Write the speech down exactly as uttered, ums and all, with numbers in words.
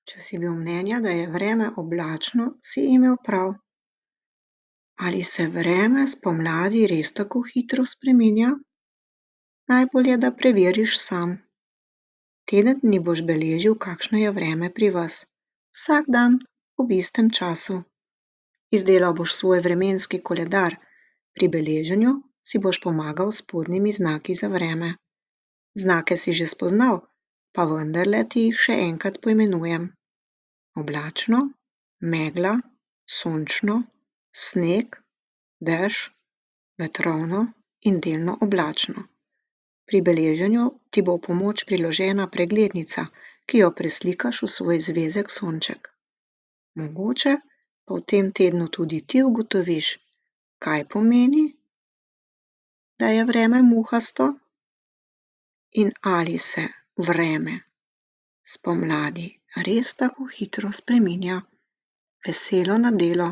Če si bil mnenja, da je vreme oblačno, si imel prav. Ali se vreme spomladi res tako hitro spreminja? Najbolje, da preveriš sam. Teden dni boš beležil, kakšno je vreme pri vas. Vsak dan ob istem času. Izdelal boš svoj vremenski koledar. Pri beleženju si boš pomagal s spodnjimi znaki za vreme. Znake si že spoznal, pa vendarle ti jih še enkrat poimenujem. Oblačno, megla, sončno, sneg, dež, vetrovno in delno oblačno. Pri beleženju ti bo v pomoč priložena preglednica, ki jo preslikaš v svoj zvezek sonček. Mogoče pa v tem tednu tudi ti ugotoviš, kaj pomeni, da je vreme muhasto in ali se vreme spomladi res tako hitro spreminja. Veselo nedeljo!